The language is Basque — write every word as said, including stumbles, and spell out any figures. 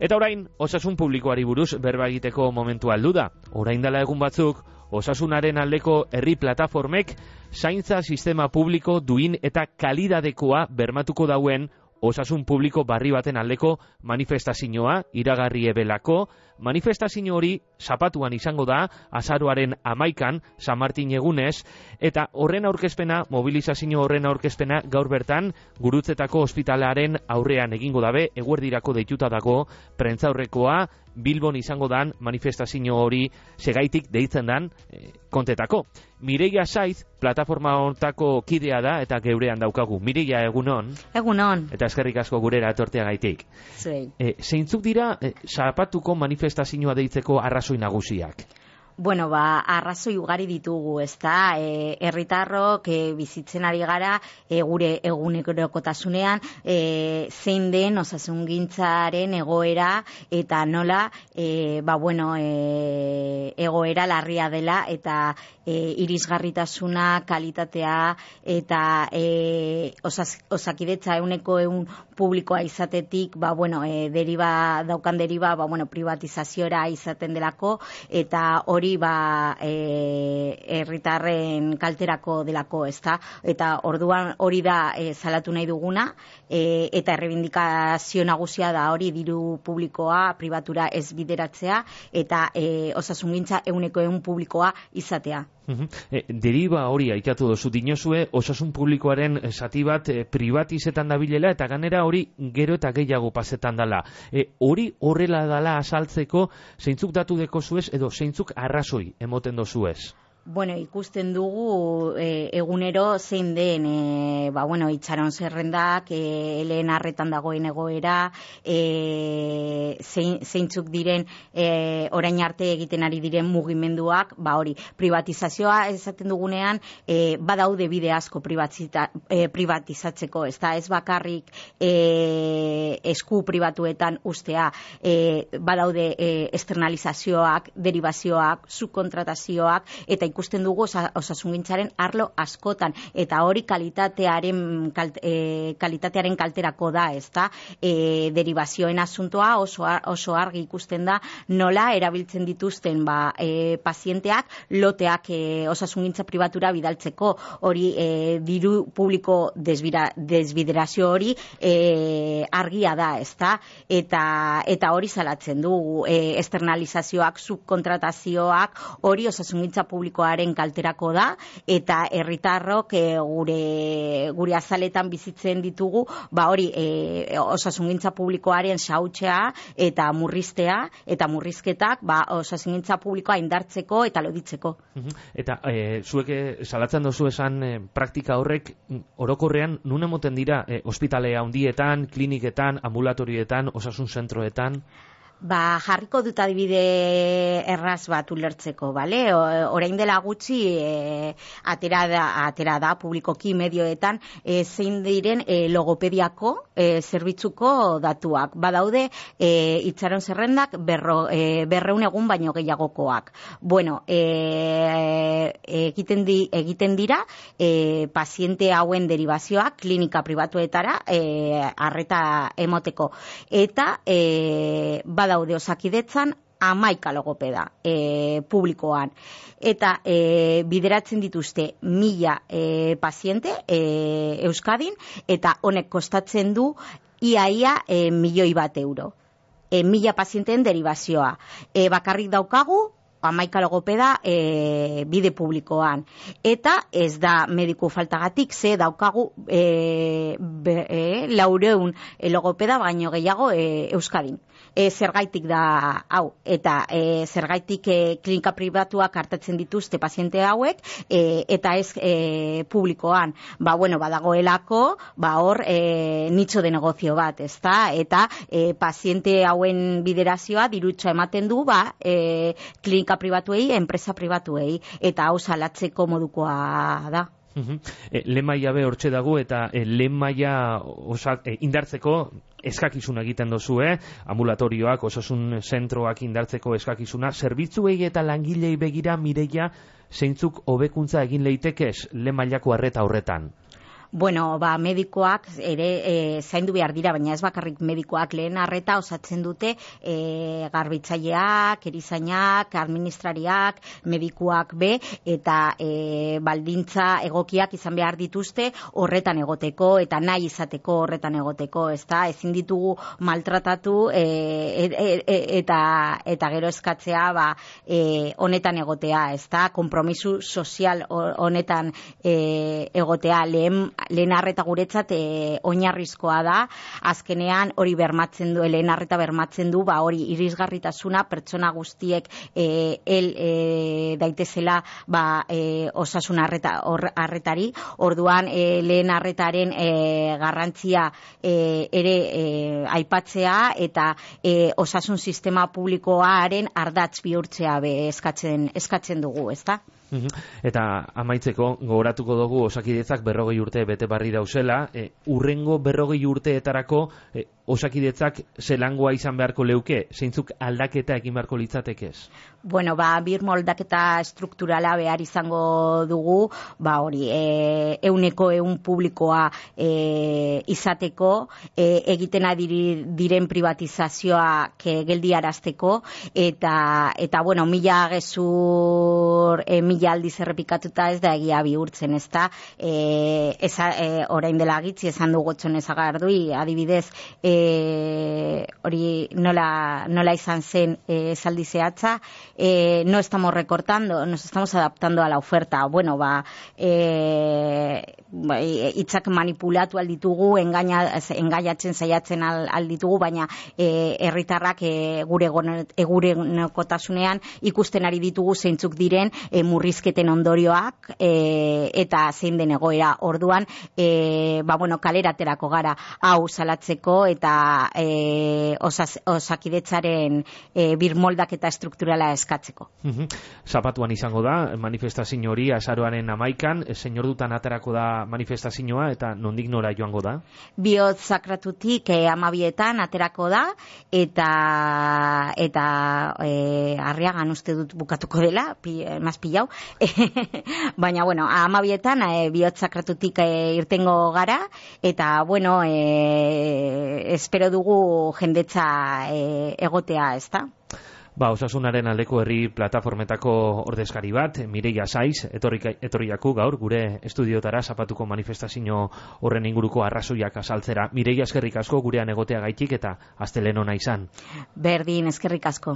Eta orain, osasun publikoari buruz berba egiteko momentua heldu da. Orain dela egun batzuk, osasunaren aldeko herri plataformek zaintza sistema publiko duin eta kalidadekoa bermatuko dauen osasun publiko barri baten aldeko manifestazioa iragarri ebelako. Manifestazio hori zapatuan izango da azaroaren amaikan San Martin egunez, eta horren aurkezpena, mobilizazio horren aurkezpena gaur bertan Gurutzetako ospitalearen aurrean egingo dabe, eguerdirako deituta dago prentzaurrekoa Bilbon izango dan manifestazio hori segaitik deitzen dan e, kontetako. Mireia Saiz, plataforma hortako kidea da eta geurean daukagu. Mireia, egunon? Egunon. Eta eskerrik asko gurera etorteagaitik. Zuei. E, zeintzuk dira e, zapatuko manifestazioa deitzeko arrazoi nagusiak? Bueno, ba, arrazoi ugari ditugu, ezta? E, herritarrok e, bizitzen ari gara e, gure egunerokotasunean e, zein den osasungintzaren egoera eta nola e, ba, bueno, e, egoera larria dela eta e, irisgarritasuna, kalitatea eta e, osas, osakidetza euneko eun publikoa izatetik, ba, bueno, e, deriba, daukan deriba, ba, bueno, privatizazioera izaten delako eta hori ba herritarren e, kalterako delako, ezta? Eta orduan hori da e, salatu nahi duguna e, eta errebindikazio nagusia da hori diru publikoa pribatura ez bideratzea eta e, osasungintza euneko eun publikoa izatea. Uhum. E, deriba hori aikatu dozu dinozue, osasun publikoaren zati bat e, privatizetan dabilela eta ganera hori gero eta gehiago pasetan dala. E, hori horrela dala azaltzeko zeintzuk datu deko zuez edo zeintzuk arrazoi emoten dozuez? Bueno, ikusten dugu e, egunero zein den e, ba, bueno, itxaron zerrendak, e, lehen arretan dagoen egoera, e, zein, zeintzuk diren e, orain arte egiten ari diren mugimenduak, ba hori, privatizazioa esaten dugunean, e, badaude bide asko e, privatizatzeko, ez da, ez bakarrik e, esku pribatuetan ustea, e, badaude e, externalizazioak, derivazioak, subkontratazioak, eta ikusten dugu osa, osasungintzaren arlo askotan eta hori kalitatearen kalt, e, kalitatearen kalterako da, ezta? E, derivazioen asuntoa oso oso argi ikusten da nola erabiltzen dituzten ba e, pazienteak loteak e, osasungintza pribatura bidaltzeko, hori e, diru publiko desbira, desbiderazio hori e, argia da, ezta? Eta eta hori salatzen dugu, e, externalizazioak, subkontratazioak, hori osasungintza publiko kalterako da eta herritarrok e, gure gure azaletan bizitzen ditugu, ba hori e, osasungintza publikoaren xahutzea eta murriztea eta murrizketak ba osasungintza publikoa indartzeko eta loditzeko. Eta e, zuek salatzen dozu esan e, praktika horrek orokorrean nun emoten dira e, ospitale handietan, kliniketan, ambulatorietan, osasun zentroetan? Ba, jarriko dut adibide erraz bat ulertzeko, bale? Orain dela gutxi e, atera, da, atera da publikoki medioetan e, zein diren e, logopediako e, zerbitzuko datuak. Badaude e, itxaron zerrendak berro, e, berreun egun baino gehiagokoak. Bueno, e, egiten, di, egiten dira e, paziente hauen derivazioak klinika pribatuetara e, arreta emoteko. Eta e, badaude osakidetzan hamaika logopeda e, publikoan. Eta e, bideratzen dituzte mila e, paziente e, Euskadin eta honek kostatzen du iaia e, milioi bat euro. E, mila pazienteen derivazioa. E, bakarrik daukagu hamaika logopeda e, bide publikoan. Eta ez da mediku faltagatik, ze daukagu e, be, e, laureun e, logopeda baino gehiago e, Euskadin. E, zergaitik da hau, eta e, zergaitik e, klinika pribatuak hartatzen dituzte paziente hauek, e, eta ez e, publikoan. Ba, bueno, badagoelako, ba, hor e, nitxo de negozio bat, ezta? Eta e, paziente hauen biderazioa dirutxa ematen du, ba, e, klinika pribatuei, enpresa pribatuei, eta hau salatzeko modukoa da. Uh-huh. E, lehen maila be hortxe dago eta e, lehen maila osak, e, indartzeko eskakizuna egiten dozu, eh? Ambulatorioak, osasun zentroak indartzeko eskakizuna, zerbitzuei eta langilei begira Mireia zeintzuk hobekuntza egin leitekez lehen mailako arreta horretan? Bueno, ba, medikoak ere e, zaindu behar dira, baina ez bakarrik medikoak lehen arreta osatzen dute e, garbitzaileak, erizainak, administrariak, medikuak be, eta e, baldintza egokiak izan behar dituzte horretan egoteko, eta nahi izateko horretan egoteko, ezta? Ezin ditugu maltratatu e, e, e, eta, eta gero eskatzea ba, e, honetan egotea, ezta? Konpromisu sozial honetan e, egotea, lehen lehen arreta guretzat e, oinarrizkoa da, azkenean hori bermatzen du, lehen arreta bermatzen du, ba hori irisgarritasuna pertsona guztiek e, el e, daitezela ba, e, osasun arreta, or, arretari, orduan e, lehen arretaren e, garrantzia e, ere e, aipatzea eta e, osasun sistema publikoaren ardatz bihurtzea be eskatzen, eskatzen dugu, ezta? Eta amaitzeko gogoratuko dugu Osakidetzak berrogei urte bete barri dauzela, e, urrengo berrogei urteetarako e, Osakidetzak zelangoa izan beharko leuke, zeintzuk aldaketa egin beharko litzatekez? Bueno, ba, birmoldaketa strukturala behar izango dugu, ba hori, e, euneko eun publikoa e, izateko, e, egiten adiri, diren privatizazioak e, geldiarazteko, eta, eta bueno, mila gezur, e, mila aldiz errepikatuta ez da egia bihurtzen, ez da, e, eza, e, orain dela gitzi esan du Gotxon Ezagardui, adibidez, e, hori nola, nola izan zen e, esaldi zehatza, eh, no estamos recortando, nos estamos adaptando a la oferta. Bueno, ba, eh, hitzak manipulatu alditugu, engaina, engaiatzen saiatzen alditugu, baina eh, herritarrak eh, gure egunerokotasunean ikusten ari ditugu zeintzuk diren eh, murrizketen ondorioak eh, eta zein den egoera. Orduan, eh, ba, bueno, kaleraterako gara hau salatzeko eta eh, osas, Osakidetzaren eh, birmoldaketa strukturala eskatzeko. Zapatuan izango da manifestazio hori azaroaren amaikan, senyor dutan aterako da manifestazioa eta nondik nora joango da? Bihotz sakratutik eh, amabietan aterako da eta eta eh, Arriagan uste dut bukatuko dela, pi, eh, maz pilau, baina bueno, amabietan eh, bihotz sakratutik eh, irtengo gara eta bueno, eh, espero dugu jendetza eh, egotea, ezta? Ba, Osasunaren aldeko herri plataformetako ordezkari bat, Mireia Saiz, etorriaku gaur, gure estudiotara zapatuko manifestazio horren inguruko arrazoiak azaltzera. Mireia, eskerrik asko gurean egotea gaitik eta astelehen ona izan. Berdin, eskerrik asko.